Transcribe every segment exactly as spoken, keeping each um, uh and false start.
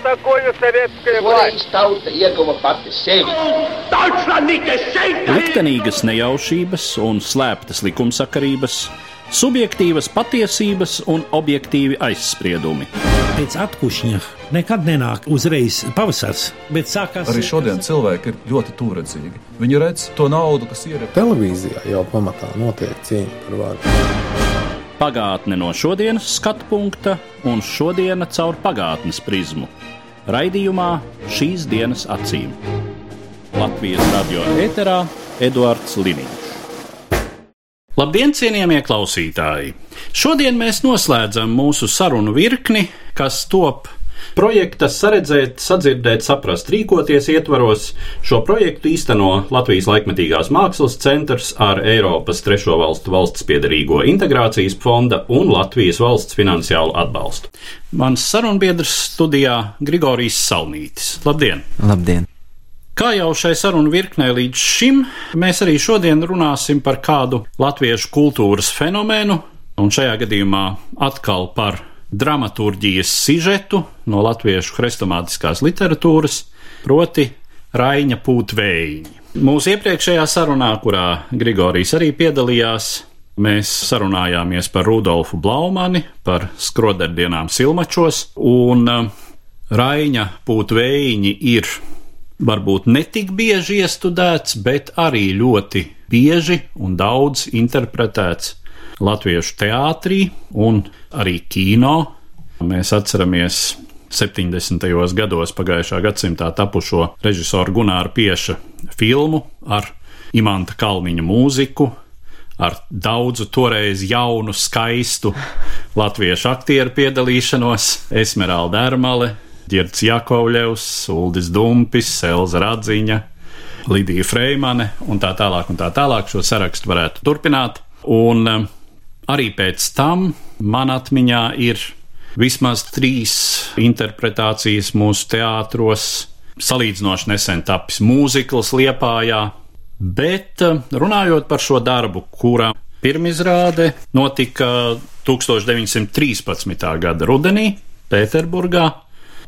такое советская власть? Liktenīgas nejaušības un slēptas likumsakarības, subjektīvas patiesības un objektīvi aizspriedumi. Pēc atkušņa nekad nenāk uzreiz pavasars, bet sākās... Arī šodien cilvēki ir ļoti tūredzīgi. Viņi redz to naudu, kas ir... Televīzijā jau pamatā notiek cīņa par varu. Pagātne no šodienas skatu punkta un šodiena caur pagātnes prizmu. Raidījumā Šīs dienas acīm. Latvijas radio ēterā Eduards Liniņš. Labdien, cienījamie klausītāji! Šodien mēs noslēdzam mūsu sarunu virkni, kas top projekta Saredzēt, sadzirdēt, saprast, rīkoties ietvaros. Šo projektu īsteno Latvijas laikmetīgās mākslas centrs ar Eiropas trešo valstu valsts piederīgo integrācijas fonda un Latvijas valsts finansiālu atbalstu. Mans sarunbiedrs studijā Grigorijs Salmītis. Labdien! Labdien! Kā jau šai sarunu virknē līdz šim, mēs arī šodien runāsim par kādu latviešu kultūras fenomenu, un šajā gadījumā atkal par dramaturģijas sižetu no latviešu hrestomātiskās literatūras, proti Raiņa Pūtvējiņi. Mūsu iepriekšējā sarunā, kurā Grigorijs arī piedalījās, mēs sarunājāmies par Rudolfu Blaumani, par skroderdienām Silmačos, un Raiņa Pūtvējiņi ir varbūt netik bieži iestudēts, bet arī ļoti bieži un daudz interpretēts latviešu teātrī un arī kino. Mēs atceramies septiņdesmitajos gados pagājušā gadsimtā tapušo režisoru Gunāra Pieša filmu ar Imanta Kalniņa mūziku, ar daudzu toreiz jaunu, skaistu latviešu aktieru piedalīšanos, Esmeralda Ermale, Ģirds Jakovļevs, Uldis Dumpis, Elza Radziņa, Lidija Freimane un tā tālāk un tā tālāk. Šo sarakstu varētu turpināt. Un um, arī pēc tam man atmiņā ir vismaz trīs interpretācijas mūsu teātros. Salīdzinoši nesen tapis mūzikls Liepājā, bet um, runājot par šo darbu, kura pirmizrāde notika tūkstoš deviņsimt trīspadsmitā gada rudenī Pēterburgā.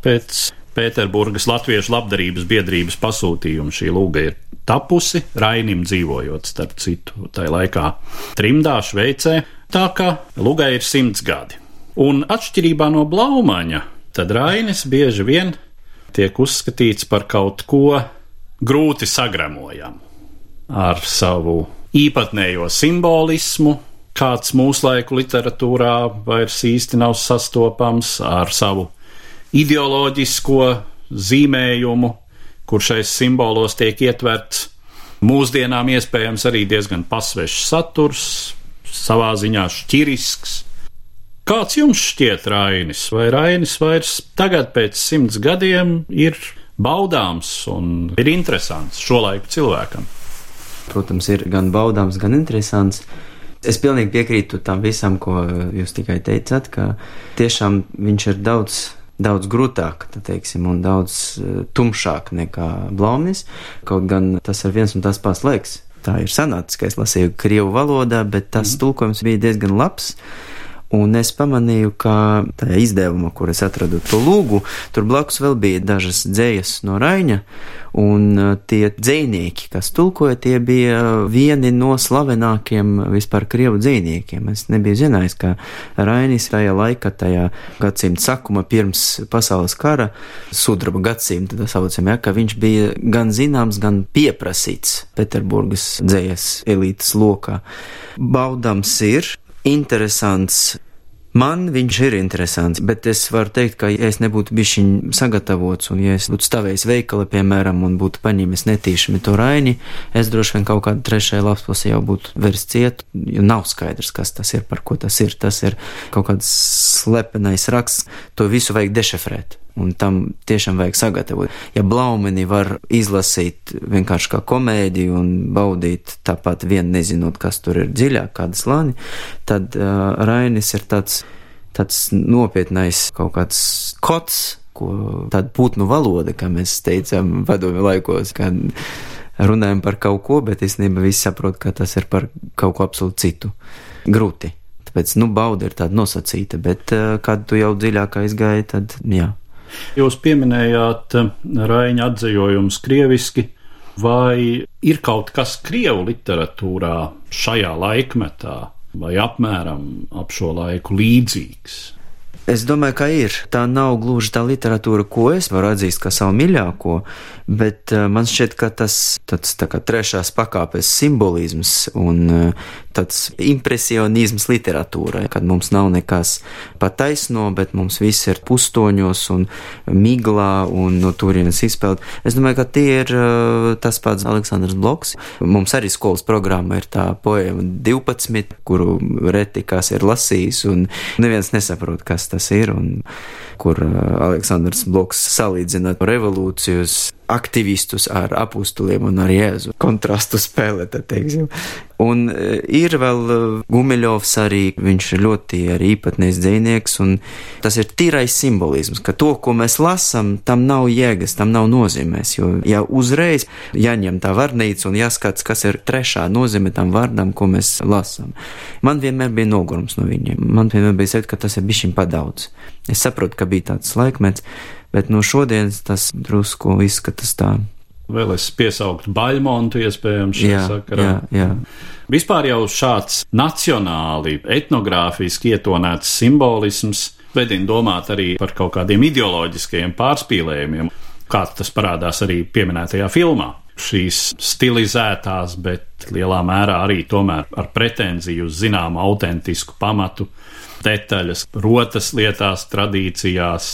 Pēc Pēterburgas Latviešu labdarības biedrības pasūtījuma šī lūga ir tapusi, Rainim dzīvojot, starp citu, tajā laikā trimdā, Šveicē, tā ka lūgai ir simts gadi. Un atšķirībā no Blaumaņa, tad Rainis bieži vien tiek uzskatīts par kaut ko grūti sagremojamu, ar savu īpatnējo simbolismu, kāds mūslaiku literatūrā vairs īsti nav sastopams, ar savu ideoloģisko zīmējumu, kur šais simbolos tiek ietverts mūsdienām iespējams arī diezgan pasvešs saturs, savā ziņā šķirisks. Kāds jums šķiet Rainis? Vai Rainis vairs tagad pēc simts gadiem ir baudāms un ir interesants šolaiku cilvēkam? Protams, ir gan baudāms, gan interesants. Es pilnīgi piekrītu tam visam, ko jūs tikai teicāt, ka tiešām viņš ir daudz daudz grūtāk, teiksim, un daudz uh, tumšāk nekā Blaumanis, kaut gan tas ir viens un tas pats laiks. Tā ir sanācis, ka es lasīju krievu valodā, bet tas mm. tulkojums bija diezgan labs, un es pamanīju, ka tajā izdevumā, kur es atradu to lūgu, tur blakus vēl bija dažas dzējas no Raiņa, un uh, tie dzējnieki, kas tulkoja, tie bija vieni no slavenākiem vispār krievu dzējniekiem. Es nebiju zinājis, ka Rainis tajā laikā, tajā gadsimta sakuma pirms pasaules kara, sudraba gadsimta, tā saucam, ja, ka viņš bija gan zināms, gan pieprasīts Pēterburgas dzējas elītes lokā. Baudams ir, interesants. Man viņš ir interesants, bet es varu teikt, ka ja es nebūtu bišķiņ sagatavots un ja es būtu stāvējis veikali, piemēram, un būtu paņēmis netīšami to Raini, es droši vien kaut kādu trešajā lapspusē jau būtu vairs ciet, jo nav skaidrs, kas tas ir, par ko tas ir. Tas ir kaut kāds slepenais raksts, to visu vajag dešifrēt. Un tam tiešām vajag sagatavot. Ja Blaumani var izlasīt vienkārši kā komēdiju un baudīt tāpat vien nezinot, kas tur ir dziļāk, kāda slāni, tad uh, Rainis ir tāds, tāds nopietnais kaut kāds kods, ko tāda putnu valoda, kā mēs teicām padomju laikos, kad runājam par kaut ko, bet īstenībā visi saprot, ka tas ir par kaut ko absolūti citu. Grūti. Tāpēc, nu, bauda ir tāda nosacīta, bet uh, kad tu jau dziļāk aizgāji, tad jā. Jūs pieminējāt Raiņa atzejojumus krieviski, vai ir kaut kas krievu literatūrā šajā laikmetā, vai apmēram ap šo laiku līdzīgs? Es domāju, ka ir. Tā nav gluži tā literatūra, ko es varu atzīst kā savu mīļāko, bet uh, man šķiet, ka tas tāds tā kā trešās pakāpes simbolisms un uh, tāds impresionisms literatūrai, kad mums nav nekas pa taisno, bet mums viss ir pustoņos un miglā un no turienes izpeld. Es domāju, ka tie ir uh, tas pats Aleksandrs Bloks. Mums arī skolas programma ir tā poēma divpadsmit, kuru reti kas ir lasījis un neviens nesaprot, kas tas ir, un kur Aleksandrs Bloks salīdzina revolūcijas aktivistus ar apustuliem un ar Jēzu. Kontrastu spēlē, tad teiksim. Un ir vēl Gumiļovs arī, viņš ir ļoti arī īpatnējs dzejnieks, un tas ir tīrais simbolisms, ka to, ko mēs lasam, tam nav jēgas, tam nav nozīmēs, jo ja uzreiz jāņem tā vārnīca un jāskats, kas ir trešā nozīme tam vārdam, ko mēs lasam. Man vienmēr bija nogurums no viņiem, man vienmēr bija sajūta, ka tas ir bišķiņ padaudz. Es saprotu, ka bija tāds laikmets, bet no šodienas tas drusku izskatās tā. Vēl es piesauktu Baļmontu iespējams šajā sakarā. Jā, jā. Vispār jau šāds nacionāli, etnogrāfiski ietonēts simbolisms vedina domāt arī par kaut kādiem ideoloģiskajiem pārspīlējumiem, kā tas parādās arī pieminētajā filmā. Šīs stilizētās, bet lielā mērā arī tomēr ar pretenziju uz zināmu autentisku pamatu detaļas, rotas lietās, tradīcijās,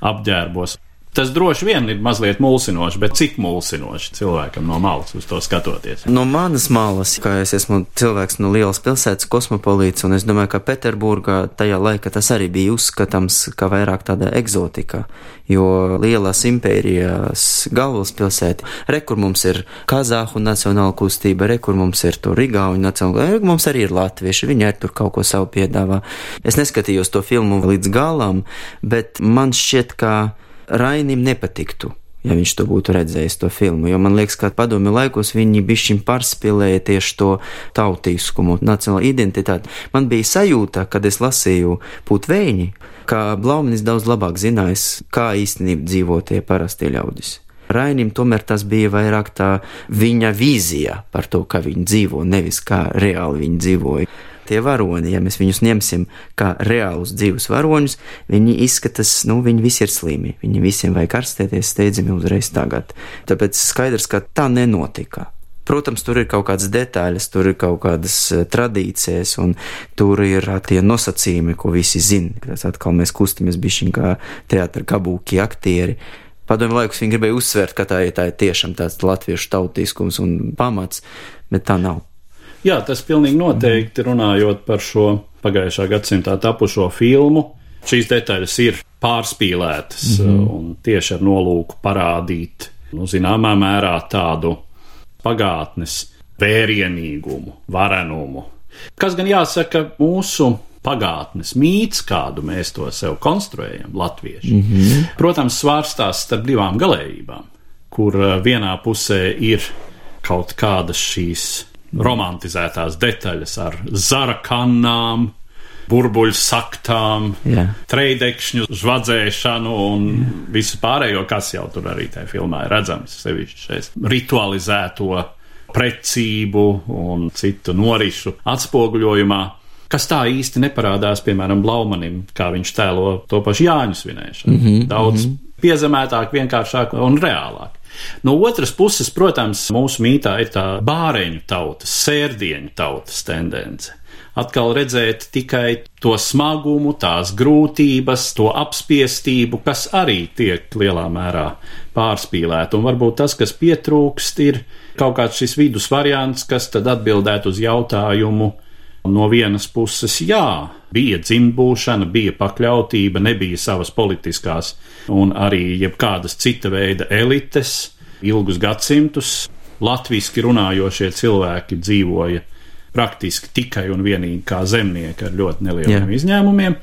apģērbos. Tas droši vien ir mazliet mulsinoši, bet cik mulsinoši cilvēkam no malas uz to skatoties? No manas malas, kā es esmu cilvēks no lielas pilsētas, kosmopolīts, un es domāju, ka Peterburgā tajā laikā tas arī bija uzskatāms kā vairāk tāda egzotika, jo lielās impērijas galvaspilsēta, re, kur mums ir Kazāhu nacionāla kustība, re, kur mums ir to Rigauņu nacionāla, re, mums arī ir latvieši, viņi arī tur kaut ko savu piedāvā. Es neskatījos to filmu līdz galam, bet man šķiet, ka Rainim nepatiktu, ja viņš to būtu redzējis to filmu, jo man liekas, ka padomju laikos viņi bišķiņ pārspīlēja tieši to tautīskumu, nacionālo identitāti. Man bija sajūta, kad es lasīju Putveini, ka Blaumanis daudz labāk zinājis, kā īstenībā dzīvo tie parastie ļaudis. Rainim tomēr tas bija vairāk tā viņa vīzija par to, kā viņi dzīvo, nevis kā reāli viņi dzīvoja. Tie varoņi, ja mēs viņus ņemsim kā reālus dzīvus varoņus, viņi izskatās, nu, viņi visi ir slimi. Viņi visiem vajag ārstēties steidzami uzreiz tagad. Tāpēc skaidrs, ka tā nenotika. Protams, tur ir kaut kādas detaļas, tur ir kaut kādas tradīcijas, un tur ir tie nosacījumi, ko visi zina. Tas atkal mēs kustamies bišķiņ kā teātra kabūki aktieri. Padomju laikus viņi gribēja uzsvērt, ka tā ir, tā ir tiešām tāds latviešu tautīskums un pamats, bet tā nav. Jā, tas pilnīgi noteikti runājot par šo pagājušā gadsimtā tapušo filmu. Šīs detaļas ir pārspīlētas mm-hmm. un tieši ar nolūku parādīt, nu, zināmā mērā tādu pagātnes vērienīgumu, varenumu. Kas gan jāsaka, mūsu pagātnes mīts, kādu mēs to sev konstruējam, latvieši, mm-hmm. protams, svārstās starp divām galējībām, kur vienā pusē ir kaut kādas šīs romantizētās detaļas ar zara kannām, burbuļu saktām, yeah. treidekšņu žvadzēšanu un yeah. visu pārējo, kas jau tur arī tajā filmā ir redzams, sevišķi šeit ritualizēto precību un citu norišu atspoguļojumā, kas tā īsti neparādās, piemēram, Blaumanim, kā viņš tēlo to pašu Jāņu svinēšanu. Mm-hmm, Daudz mm-hmm. piezemētāk, vienkāršāk un reālāk. No otras puses, protams, mūsu mītā ir tā bāreņu tautas, sērdieņu tautas tendence. Atkal redzēt tikai to smagumu, tās grūtības, to apspiestību, kas arī tiek lielā mērā pārspīlēta. Un varbūt tas, kas pietrūkst, ir kaut kāds šis vidus variants, kas tad atbildētu uz jautājumu. No vienas puses, jā, bija dzimbūšana, bija pakļautība, nebija savas politiskās un arī jebkādas cita veida elites. Ilgus gadsimtus latviski runājošie cilvēki dzīvoja praktiski tikai un vienīgi kā zemnieki ar ļoti nelieliem yeah. izņēmumiem.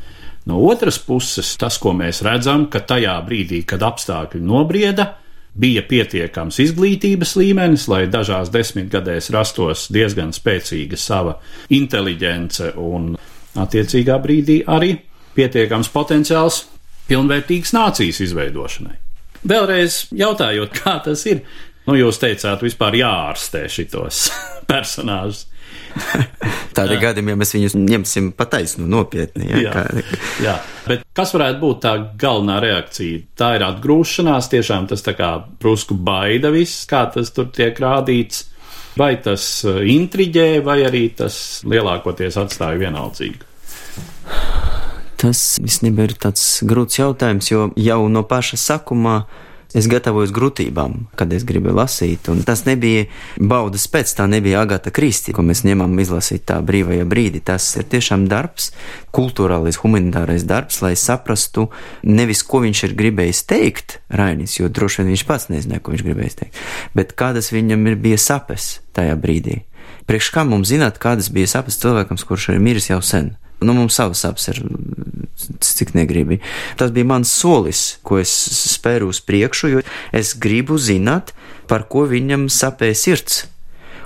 No otras puses, tas, ko mēs redzam, ka tajā brīdī, kad apstākļi nobrieda, bija pietiekams izglītības līmenis, lai dažās desmitgadēs rastos diezgan spēcīga sava inteliģence un attiecīgā brīdī arī pietiekams potenciāls pilnvērtīgas nācijas izveidošanai. Vēlreiz jautājot, kā tas ir, nu jūs teicāt, vispār jāārstē šitos personāžus. Tādi gadījumi, ja mēs viņus ņemsim pataisnu nopietni. Ja? Jā, kā... jā, bet kas varētu būt tā galvenā reakcija? Tā ir atgrūšanās, tiešām tas tā kā prusku baida viss, kā tas tur tiek rādīts, vai tas intriģē, vai arī tas lielākoties atstāja vienaldzīgu? Tas visnībā ir tāds grūts jautājums, jo jau no paša sakumā es gatavojos grūtībām, kad es gribu lasīt, un tas nebija baudas pēc, tā nebija Agata Kristi, ko mēs ņemam izlasīt tā brīvajā brīdī. Tas ir tiešām darbs, kultūrālais, humanitārais darbs, lai saprastu nevis, ko viņš ir gribējis teikt, Rainis, jo droši vien viņš pats nezināja, ko viņš gribējis teikt, bet kādas viņam ir bija sapes tajā brīdī. Priekš kā mums zināt, kādas bija sapes cilvēkam, kurš ir miris jau sen? Nu, mums savas sapes ir, cik negribi. Tas bija mans solis, ko es spēru uz priekšu, jo es gribu zināt, par ko viņam sapēja sirds.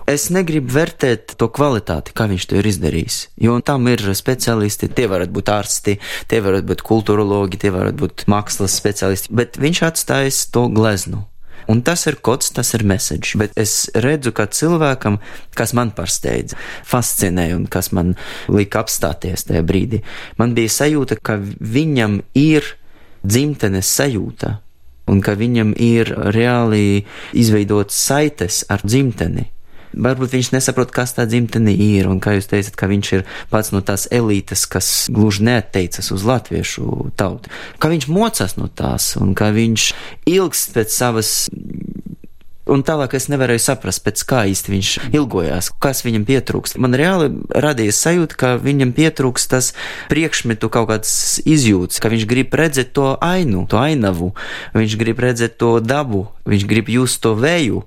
Es negribu vērtēt to kvalitāti, kā viņš to ir izdarījis, jo tam ir speciālisti, tie varat būt ārsti, tie varat būt kultūrologi, tie varat būt mākslas speciālisti, bet viņš atstājas to gleznu. Un tas ir kods, tas ir message, bet es redzu, ka cilvēkam, kas man pārsteidza, fascinēja un kas man lika apstāties tajā brīdī, man bija sajūta, ka viņam ir dzimtenes sajūta un ka viņam ir reāli izveidot saites ar dzimteni. Varbūt viņš nesaprot, kas tā dzimtene ir, un kā jūs teicat, ka viņš ir pats no tās elītes, kas gluži neatteicas uz latviešu tautu. Ka viņš mocās no tās, un ka viņš ilgst pēc savas... Un tālāk es nevarēju saprast, pēc kā īsti viņš ilgojās, kas viņam pietrūkst. Man reāli radījās sajūta, ka viņam pietrūkst tas priekšmetu kaut kāds izjūts, ka viņš grib redzēt to ainu, to ainavu, viņš grib redzēt to dabu, viņš grib just to vēju.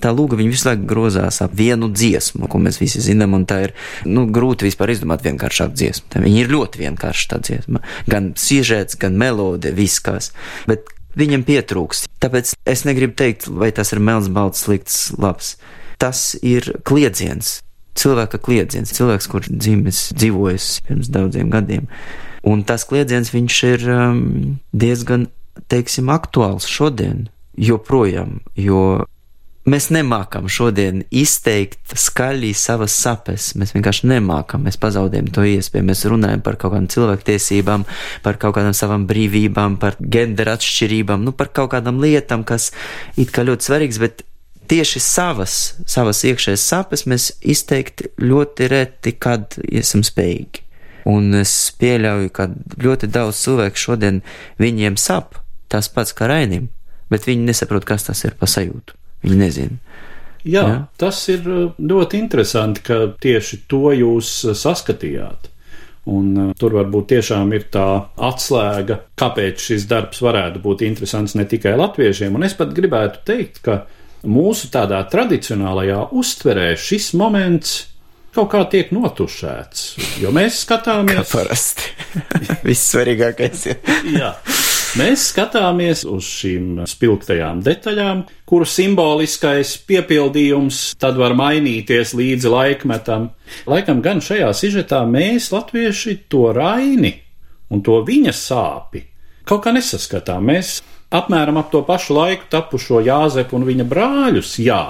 Tā lūga viņa visu laiku grozās ap vienu dziesmu, ko mēs visi zinām, un tā ir, nu, grūti vispār izdomāt vienkāršāk dziesmu. Tā viņa ir ļoti vienkārša tā dziesma. Gan sižets, gan melode, viss kas. Bet viņam pietrūkst. Tāpēc es negribu teikt, vai tas ir melns, balts, slikts, labs. Tas ir kliedziens. Cilvēka kliedziens. Cilvēks, kurš dzimis, dzīvojas pirms daudziem gadiem. Un tas kliedziens viņš ir um, diezgan, teiksim, aktuāls šodien. Joprojām. Jo mēs nemākam šodien izteikt skaļi savas sapes. Mēs vienkārši nemākam, mēs pazaudējam to iespēju. Mēs runājam par kaut kādām cilvēktiesībām, par kaut kādām savām brīvībām, par genderu atšķirībām, nu par kaut kādām lietām, kas it kā ļoti svarīgs, bet tieši savas, savas iekšējas sapes mēs izteikt ļoti reti, kad esam spējīgi. Un es pieļauju, ka ļoti daudz cilvēku šodien viņiem sap tas pats kā Rainim, bet viņi nesaprot, kas tas ir pa sajūtu. Viņi nezina. Jā, Jā, tas ir ļoti interesanti, ka tieši to jūs saskatījāt. Un uh, tur varbūt tiešām ir tā atslēga, kāpēc šis darbs varētu būt interesants ne tikai latviešiem. Un es pat gribētu teikt, ka mūsu tādā tradicionālajā uztverē šis moments kaut kā tiek notušēts. Jo mēs skatāmies... Kā parasti. Viss svarīgākais ir. Jā. Mēs skatāmies uz šīm spilgtajām detaļām, kuru simboliskais piepildījums tad var mainīties līdzi laikmetam. Laikam gan šajā sižetā mēs, latvieši, to Raini un to viņa sāpi kaut kā nesaskatām. Mēs apmēram ap to pašu laiku tapušo Jāzepu un viņa brāļus, jā,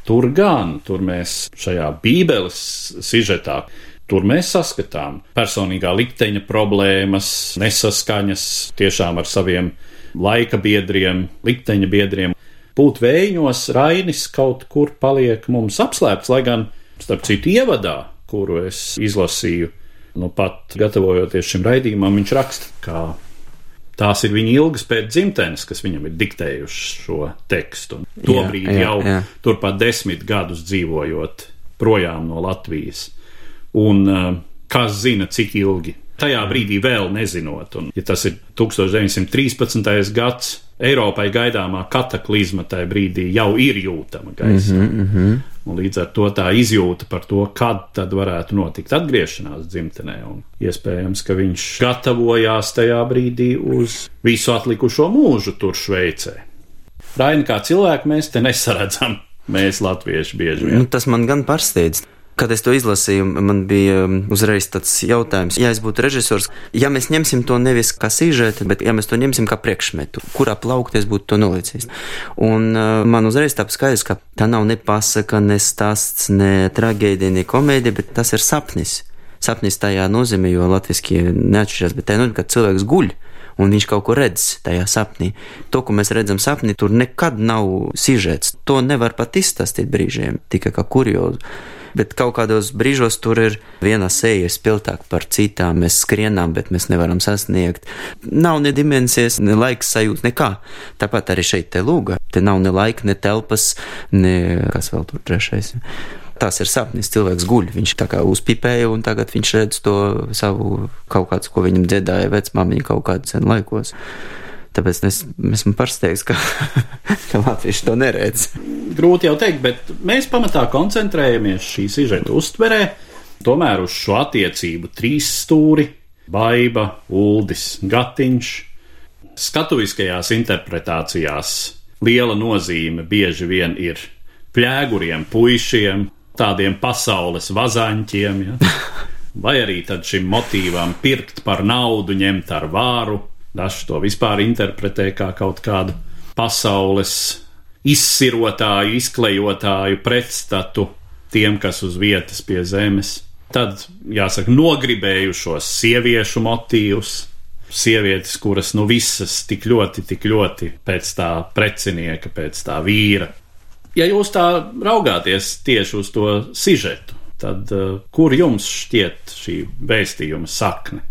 tur gan, tur mēs šajā bībeles sižetā, tur mēs saskatām personīgā likteņa problēmas, nesaskaņas tiešām ar saviem laika biedriem, likteņa biedriem. Būt vējiņos Rainis kaut kur paliek mums apslēpts, lai gan, starp citu, ievadā, kuru es izlasīju, nu pat gatavojoties šim raidījumam, viņš raksta, ka tās ir viņa ilgas pēc dzimtenes, kas viņam ir diktējuši šo tekstu. Tobrīd jā, jā, jau jā. Turpat desmit gadus dzīvojot projām no Latvijas. Un uh, kas zina, cik ilgi. Tajā brīdī vēl nezinot. Un, ja tas ir tūkstoš deviņsimt trīspadsmitais gads, Eiropai gaidāmā kataklizma tajā brīdī jau ir jūtama gaisā. Mm-hmm, mm-hmm. Un līdz ar to tā izjūta par to, kad tad varētu notikt atgriešanās dzimtenē. Un iespējams, ka viņš gatavojās tajā brīdī uz visu atlikušo mūžu tur Šveicē. Raini kā cilvēku mēs te nesaredzam. Mēs latvieši bieži vien. Nu, tas man gan pārsteidz. Kad es to izlasīju, man bija uzreiz tāds jautājums, ja es būtu režisors, ja mēs ņemsim to nevis kā sižetu, bet ja mēs to ņemsim kā priekšmetu, kurā plaukti es būtu to nolicis. Un uh, man uzreiz tāp skaidrs, ka tā nav ne pasaka, ne stāsts, ne traģēdija, ne komēdija, bet tas ir sapnis. Sapnis tajā nozīmē, jo latviski neatšķirās, bet tā nozīmē, ka cilvēks guļ. Un viņš kaut ko redz tajā sapnī. To, ko mēs redzam sapnī, tur nekad nav sižets. To nevar pat izstāstīt brīžiem, tikai kā kuriozu. Bet kaut kādos brīžos tur ir viena seja spilgtāka par citām. Mēs skrienām, bet mēs nevaram sasniegt. Nav ne dimensijas, ne laiks sajūta, nekā. Tāpat arī šeit te lūga. Te nav ne laika, ne telpas, ne kas vēl tur trešais. Tas ir sapnis, cilvēks guļ, viņš tā kā uzpipēja un tagad viņš redz to savu kaut kāds, ko viņam dziedāja vecmāmiņa kaut kādu sen laikos. Tāpēc es esmu pārsteigts, ka, ka latvieši to neredz. Grūti jau teikt, bet mēs pamatā koncentrējamies šī sižeta uztverē, tomēr uz šo attiecību trīs stūri, Baiba, Uldis, Gatiņš. Skatuviskajās interpretācijās liela nozīme bieži vien ir pļēguriem puišiem, tādiem pasaules vazaņķiem, ja? Vai arī tad šim motīvam pirkt par naudu, ņemt ar vāru. Daži to vispār interpretē kā kaut kādu pasaules izsirotāju, izklejotāju pretstatu tiem, kas uz vietas pie zemes. Tad, jāsaka, nogribējušos sieviešu motīvus, sievietes, kuras nu visas tik ļoti, tik ļoti pēc tā precinieka, pēc tā vīra. Ja jūs tā raugāties tieši uz to sižetu, tad uh, kur jums šķiet šī vēstījuma sakne?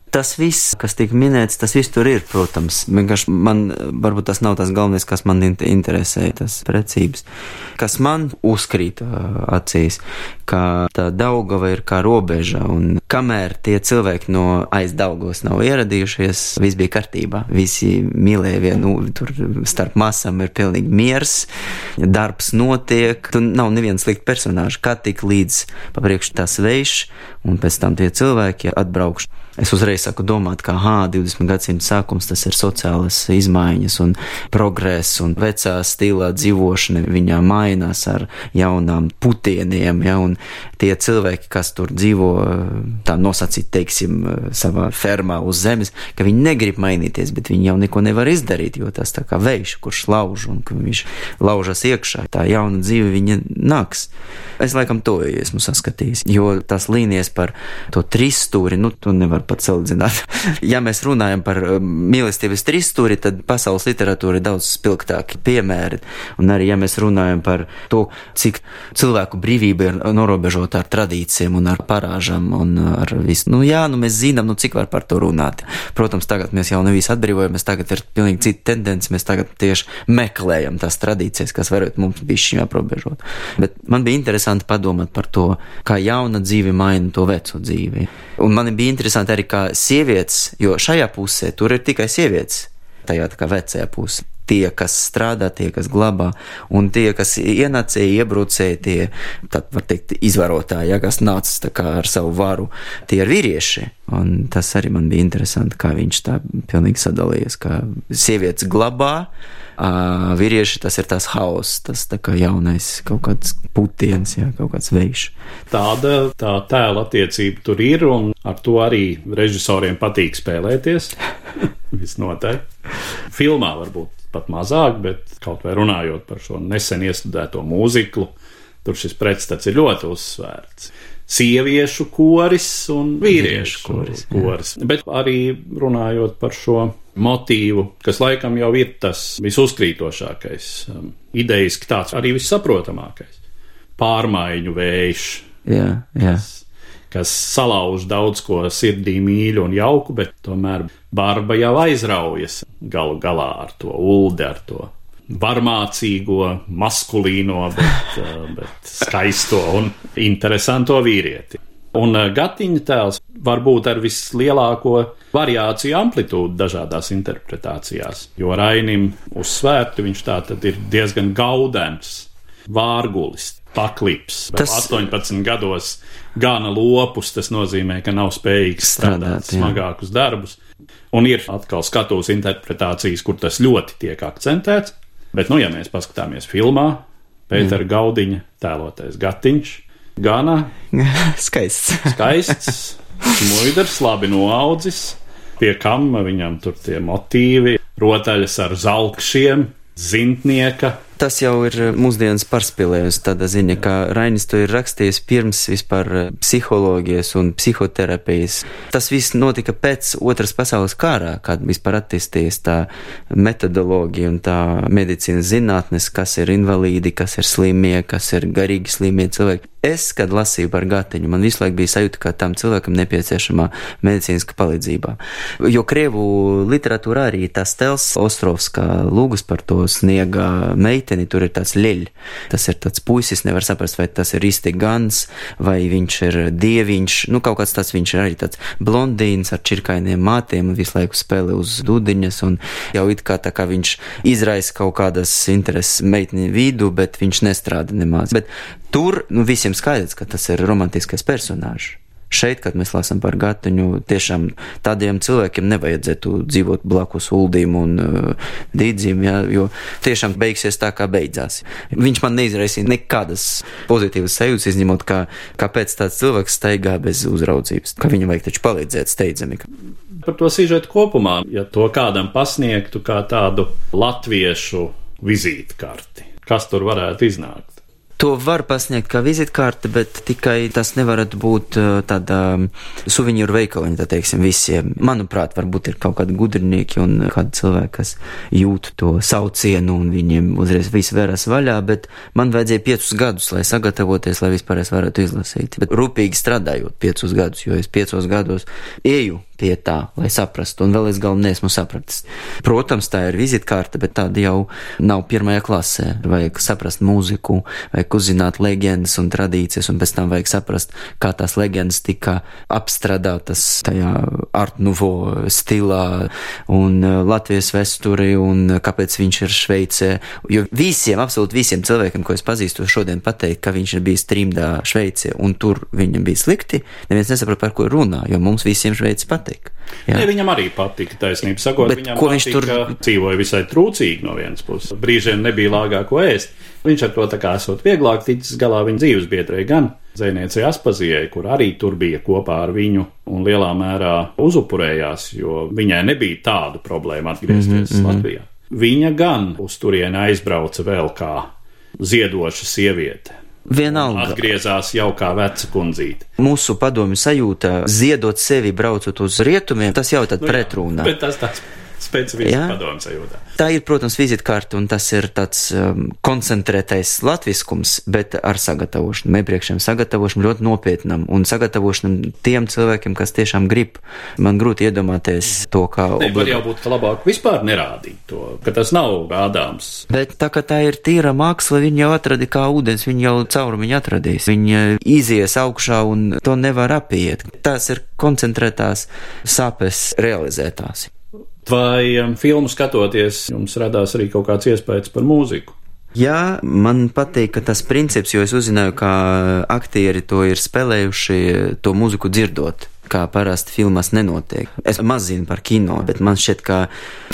Tas viss, kas tika minēts, tas viss tur ir, protams. Vienkārši man, varbūt tas nav tas galvenais, kas man interesē, tas precības. Kas man uzkrīt acīs, ka tā Daugava ir kā robeža, un kamēr tie cilvēki no aiz Daugavas nav ieradījušies, viss bija kārtībā. Visi mīlēja vienu, tur starp masām ir pilnīgi miers, darbs notiek, tur nav neviens slikti personāži, kā tik līdz papriekš tas vējš, un pēc tam tie cilvēki atbraukšu. Es uzreiz saku domāt, ka hā, divdesmit gadsimta sākums, tas ir sociālas izmaiņas un progress un vecā stilā dzīvošana, viņā mainās ar jaunām putieniem, ja, un tie cilvēki, kas tur dzīvo, tā nosacīt, teiksim, savā fermā uz zemes, ka viņi negrib mainīties, bet viņi jau neko nevar izdarīt, jo tas tā kā vējš, kurš lauž un ka viņš laužas iekšā, tā jauna dzīve viņa nāks. Es laikam to esmu saskatījis, jo tās līnijas par to trīsstūri, nu, to nevar pat salīdzināt. Ja mēs runājam par mīlestības trīsstūri, tad pasaules literatūra ir daudz spilgtāki piemēri. Un arī, ja mēs runājam par to, cik cilvēku brīvība ir norobežota ar tradīcijiem un ar parāžām un ar visu. Nu jā, nu mēs zinām, nu cik var par to runāt. Protams, tagad mēs jau nevis atbrīvojamies, tagad ir pilnīgi cita tendence, mēs tagad tieši meklējam tās tradīcijas, kas varētu mums bišķiņ aprobežot. Bet man bija interesanti padomāt par to, kā jauna dzīve maina to veco dzīvi. Un man bija interesanti arī kā sievietes, jo šajā pusē tur ir tikai sievietes, tajā tā kā vecajā pusē. Tie, kas strādā, tie, kas glabā, un tie, kas ienācēja, iebrucēja, tie, tad var teikt, izvarotāji, ja, kas nāca tā kā ar savu varu, tie ir vīrieši. Un tas arī man bija interesanti, kā viņš tā pilnīgi sadalījies, kā sievietes glabā, Uh, vīrieši, tas ir tas hauss, tas tā kā jaunais kaut kāds putiens, jā, kaut kāds vējš. Tāda tā tēla attiecība tur ir, un ar to arī režisoriem patīk spēlēties. Visnotaļ. Filmā varbūt pat mazāk, bet kaut vai runājot par šo nesen iestudēto mūziklu, tur šis pretstats ir ļoti uzsvērts. Sieviešu koris un vīriešu koris, koris. Bet arī runājot par šo motīvu, kas laikam jau ir tas visuzkrītošākais, um, idejiski tāds arī vissaprotamākais. Pārmaiņu vējš, jā, jā. Kas, kas salauž daudz ko sirdī mīļu un jauku, bet tomēr Barba jau aizraujas galu galā ar to Uldi, ar to varmācīgo, maskulīno, bet, bet skaisto un interesanto vīrieti. Un Gatiņa tēls var būt ar vislielāko variāciju amplitūdu dažādās interpretācijās, jo Rainim uzsvērti viņš tā tad ir diezgan gaudens, vārgulis, paklips, tas... astoņpadsmit gados gana lopus, tas nozīmē, ka nav spējīgs strādāt, strādāt smagākus darbus. Un ir atkal skatuves interpretācijas, kur tas ļoti tiek akcentēts. Bet, nu, ja mēs paskatāmies filmā, Pētera Gaudiņa tēlotais Gatiņš, Gana skaists. skaists, smuidrs, labi noaudzis, pie kam viņam tur tie motīvi, rotaļas ar zalkšiem, zintnieka. Tas jau ir mūsdienas pārspīlējusi tāda ziņa, ka Rainis to ir rakstījis pirms vispār psiholoģijas un psihoterapijas. Tas viss notika pēc Otras pasaules kārā, kad vispār attīstījās tā metodoloģija un tā medicīnas zinātnes, kas ir invalīdi, kas ir slimie, kas ir garīgi slimie cilvēki. Es, kad lasīju par Gatiņu, man visu laiku bija sajūta, ka tam cilvēkam nepieciešamā medicīniska palīdzība. Jo krievu literatūrā arī tas tels Ostrovska lūgas par to sniega meiteni, tur ir tāds ļeļ. Tas ir tāds puisis, nevar saprast, vai tas ir īsti gans, vai viņš ir dieviņš, nu kaut kāds tāds viņš ir arī tāds blondīns ar čirkainiem mātiem un visu laiku spēlē uz dudiņas un jau it kā tā kā viņš izraisa kaut kādas intereses meitni vidu, bet viņš nestrāda nemaz. Bet tur, nu, visiem skaidrs, ka tas ir romantiskais personāžs. Šeit, kad mēs lasām par Gatiņu, tiešām tādiem cilvēkiem nevajadzētu dzīvot blakus Uldim un uh, Dīdzim, ja, jo tiešām beigsies tā, kā beidzās. Viņš man neizraisīja nekādas pozitīvas sajūtas, izņemot, kā, kāpēc tāds cilvēks staigā bez uzraudzības, ka viņam vajag taču palīdzēt steidzami. Par to sižetu kopumā, ja to kādam pasniegtu kā tādu latviešu vizītkarti, kas tur varētu iznākt? To var pasniegt kā vizitkārte, bet tikai tas nevarat būt tāda suvenīru veikaliņa, tā teiksim, visiem. Manuprāt, varbūt ir kaut kādi gudrinieki un kādi cilvēki, kas jūt to saucienu un viņiem uzreiz viss veras vaļā, bet man vajadzēja piecus gadus, lai sagatavoties, lai vispār es varētu izlasīt. Bet rūpīgi strādājot piecus gadus, jo es piecos gados eju pie tā, lai saprastu, un vēl es galvenais esmu sapratis. Protams, tā ir vizitkārte, bet tāda jau nav pirmajā klasē. Vajag saprast mūziku, vajag uzzināt leģendas un tradīcijas, un pēc tam vajag saprast, kā tās leģendas tika apstrādātas tajā Art Nouveau stilā un Latvijas vēsturi, un kāpēc viņš ir Šveicē. Jo visiem, absolūti visiem cilvēkiem, ko es pazīstu, šodien pateikt, ka viņš ir bijis trimdā Šveicē, un tur viņam bija slikti, neviens nesaprot, par ko runā, jo mums visiem Šveici patīk. Ne, viņam arī patika, taisnība sakot, bet viņam ko patika, viņš tur dzīvoja visai trūcīgi no vienas puses. Brīžiem nebija lāgāko ēst. Viņš ar to tā kā esot vieglāk ticis galā viņa dzīves biedrē gan dzejniecei Aspazijai, kur arī tur bija kopā ar viņu un lielā mērā uzupurējās, jo viņai nebija tādu problēmu atgriezties mm-hmm. Latvijā. Viņa gan uz turieni aizbrauca vēl kā ziedoša sieviete. Vienalga. Atgriezās jau kā veca kundzīte. Mūsu padomju sajūta ziedot sevi braucot uz rietumiem, tas jau tad nu, pretrunā. Bet tas tāds specifisks padomju sajūtā. Tā ir, protams, vizitkārta, un tas ir tāds um, koncentrētais latviskums, bet ar sagatavošanu, iepriekšējiem sagatavošanu ļoti nopietnam, un sagatavošanam tiem cilvēkiem, kas tiešām grib. Man grūti iedomāties to, kā... Ne, var jau būt, ka labāk vispār nerādīt to, ka tas nav rādāms. Bet tā, ka tā ir tīra māksla, viņi jau atradi kā ūdens, viņi jau caurumiņu atradīs. Viņi izies augšā un to nevar apiet. Tās ir koncentrētās sāpes realizētās. Vai um, filmu skatoties, jums radās arī kaut kāds iespējas par mūziku? Jā, man patīk, ka tas princips, jo es uzzināju, kā aktieri to ir spēlējuši, to mūziku dzirdot, kā parasti filmās nenotiek. Es maz zinu par kino, bet man šķiet, ka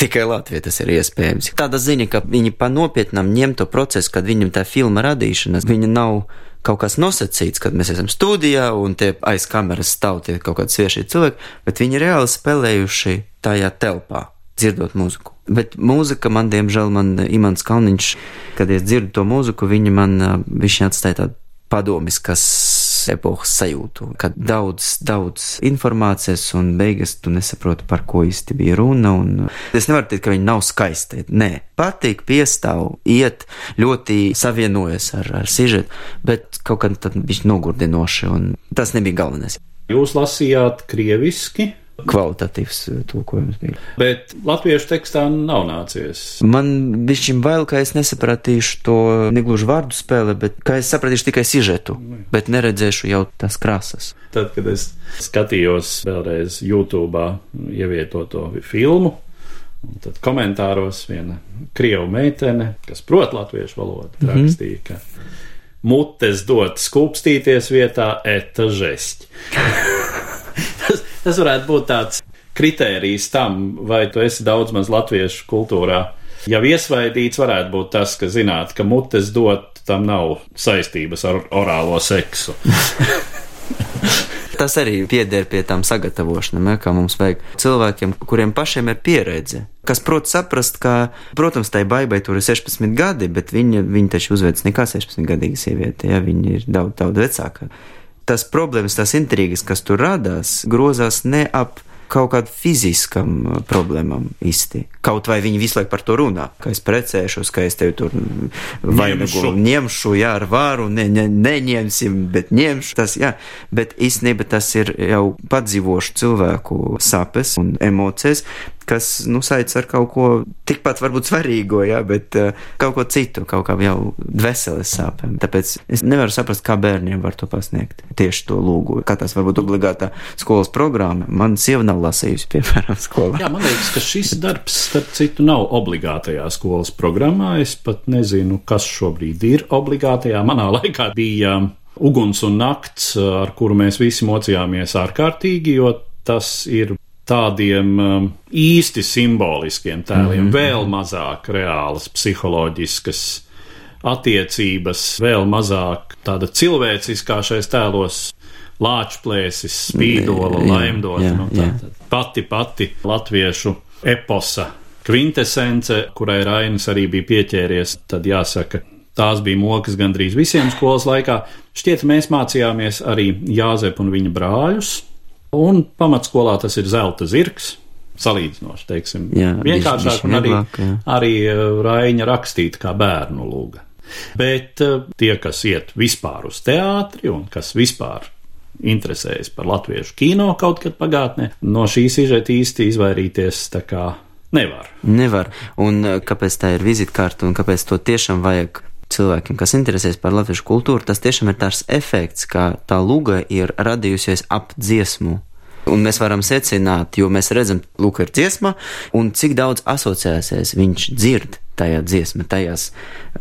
tikai Latvijā tas ir iespējams. Tāda ziņa, ka viņi pa nopietnam ņem to procesu, kad viņam tā filma radīšanas, viņa nav kaut kas nosacīts, kad mēs esam studijā un tie aiz kameras stāv tie kaut kādi svieši cilvēki, bet viņi reāli spēlējuši tajā telpā, dzirdot mūziku. Bet mūzika man, diemžēl, man Imants Kalniņš, kad es dzirdu to mūziku, viņi man, viņš atstāja tādu padomiskas epohas sajūtu, kad daudz, daudz informācijas un beigas tu nesaproti, par ko īsti bija runa, un es nevaru teikt, ka viņi nav skaisti. Nē, patīk, piestāv, iet, ļoti savienojas ar, ar sižetu, bet kaut kā tad viņš nogurdinoši, un tas nebija galvenais. Jūs lasījāt krieviski? Kvalitatīvs tulkojums bija. Bet latviešu tekstā nav nācies. Man bišķiņ bail, ka es nesapratīšu to negluži vārdu spēle, bet ka es sapratīšu tikai sižetu, bet neredzēšu jau tās krāsas. Tad, kad es skatījos vēlreiz YouTube'ā ievietoto filmu, tad komentāros viena krievu meitene, kas prot latviešu valodu, mm-hmm. rakstīja, ka mutes dot skūpstīties vietā eta žeсть. Tas, tas varētu būt tāds kritērijs tam, vai tu esi daudz maz latviešu kultūrā jau iesvaidīts varētu būt tas, ka zināt, ka mutes dot, tam nav saistības ar orālo seksu. Tas arī pieder pie tām sagatavošanām, ja, kā mums vajag cilvēkiem, kuriem pašiem ir pieredze, kas prot saprast, ka, protams, tai baibai tur ir sešpadsmit gadi, bet viņa, viņa taču uzvedas nekā sešpadsmitgadīga sieviete, ja, viņa ir daudz, daudz vecāka. Tas problēmas, tās intrigas, kas tur radās, grozās ne ap kaut kādu fiziskam problēmām īsti. Kaut vai viņi visu laiku par to runā, ka es precēšos, ka es tevi tur vainagu ņemšu, jā, ar varu, ne, ne, neņemsim, bet ņemšu, tas, jā. Bet īstenībā tas ir jau padzīvošu cilvēku sapes un emocijas, kas, nu, saic ar kaut ko tikpat varbūt svarīgo, jā, bet uh, kaut ko citu, kaut kā jau dveseles sāpēm. Tāpēc es nevaru saprast, kā bērniem var to pasniegt, tieši to lūgu. Kā tas varbūt obligātā skolas programma. Man sieva nav lasījusi, piemēram, skolā. Jā, man liekas, ka šis darbs, starp citu, nav obligātajā skolas programmā. Es pat nezinu, kas šobrīd ir obligātajā. Manā laikā bija uguns un nakts, ar kuru mēs visi mocījāmies ārkārtīgi, jo tas ir tādiem um, īsti simboliskiem tēliem, mm-hmm. vēl mazāk reālas psiholoģiskas attiecības, vēl mazāk tāda cilvēciskā šais tēlos lāčplēsis, spīdola, jā, laimdota, jā, nu, tā, tā, pati pati latviešu eposa kvintesence, kurai Rainis arī bija pieķēries, tad jāsaka, tās bija mokas gandrīz visiem skolas laikā. Šķiet, mēs mācījāmies arī Jāzepu un viņa brāļus, un pamatskolā tas ir zelta zirgs, salīdzinoši, teiksim, jā, vienkāršāk, un arī, arī Raiņa rakstīta kā bērnu lūga. Bet tie, kas iet vispār uz teātri un kas vispār interesējas par latviešu kino kaut kad pagātnē, no šī sižeta īsti izvairīties tā kā nevar. Nevar, un kāpēc tā ir vizitkārta un kāpēc to tiešām vajag cilvēkiem, kas interesēs par latviešu kultūru, tas tiešām ir tāds efekts, ka tā lūga ir radījusies ap dziesmu. Un mēs varam secināt, jo mēs redzam, lūk, ir dziesma, un cik daudz asociēsies viņš dzird tajā dziesma, tajās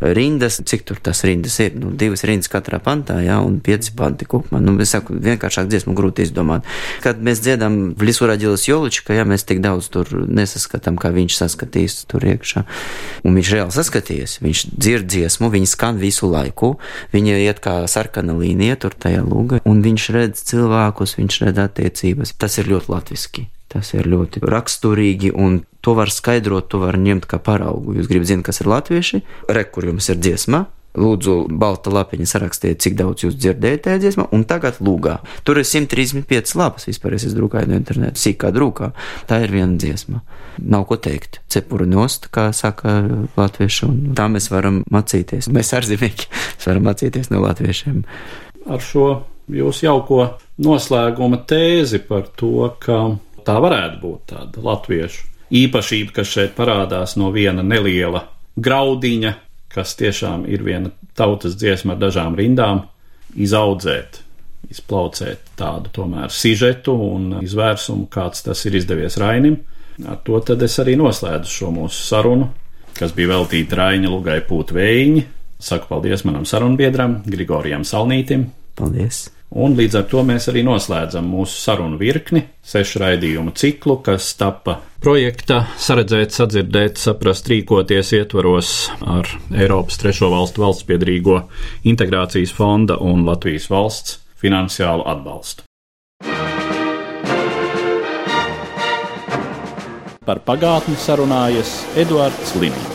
rindas, cik tur tas rindas ir, nu, divas rindas katrā pantā, jā, un pieci panti kopumā. Nu, es saku, vienkāršāk dziesmu grūti izdomāt. Kad mēs dziedam v Lisu radīlas Jolička, jā, mēs tik daudz tur nesaskatām, kā viņš saskatīs tur iekšā. Un viņš reāli saskatījies, viņš dzird dziesmu, viņa skan visu laiku, viņa iet kā sarkana līnija tur tajā lūga, un viņš redz cilvēkus, viņš redz attiecības. Tas ir ļoti latviski. Tas ir ļoti raksturīgi, un to var skaidrot, to var ņemt kā paraugu. Jūs gribat zināt, kas ir latvieši? Re, kur jums ir dziesma. Lūdzu, balta lapiņa sarakstiet, cik daudz jūs dzirdējat tajā dziesmā, un tagad lūgā. Tur ir simt trīsdesmit piecas lapas vispār, es drukāju no interneta, sīkā drukā. Tā ir viena dziesma. Nav ko teikt. Cepuri nost, kā saka latvieši, un tā mēs varam mācīties. Mēs ārzemnieki varam mācīties no latviešiem. Ar šo jūs jauko noslēguma tēzi par to, ka tā varētu būt tāda latviešu īpašība, kas šeit parādās no viena neliela graudiņa, kas tiešām ir viena tautas dziesma ar dažām rindām, izaudzēt, izplaucēt tādu tomēr sižetu un izvērsumu, kāds tas ir izdevies Rainim. Ar to tad es arī noslēdzu šo mūsu sarunu, kas bija veltīta Raiņa Lugai Pūt Vējiņi. Saku paldies manam sarunbiedram, Grigorijam Salnītim. Paldies! Un līdz ar to mēs arī noslēdzam mūsu sarunu virkni, sešu raidījumu ciklu, kas tapa projekta Saredzēt, sadzirdēt, saprast, rīkoties ietvaros ar Eiropas trešo valstu valstspiedrīgo integrācijas fonda un Latvijas valsts finansiālu atbalstu. Par pagātni sarunājas Eduards Liniņš.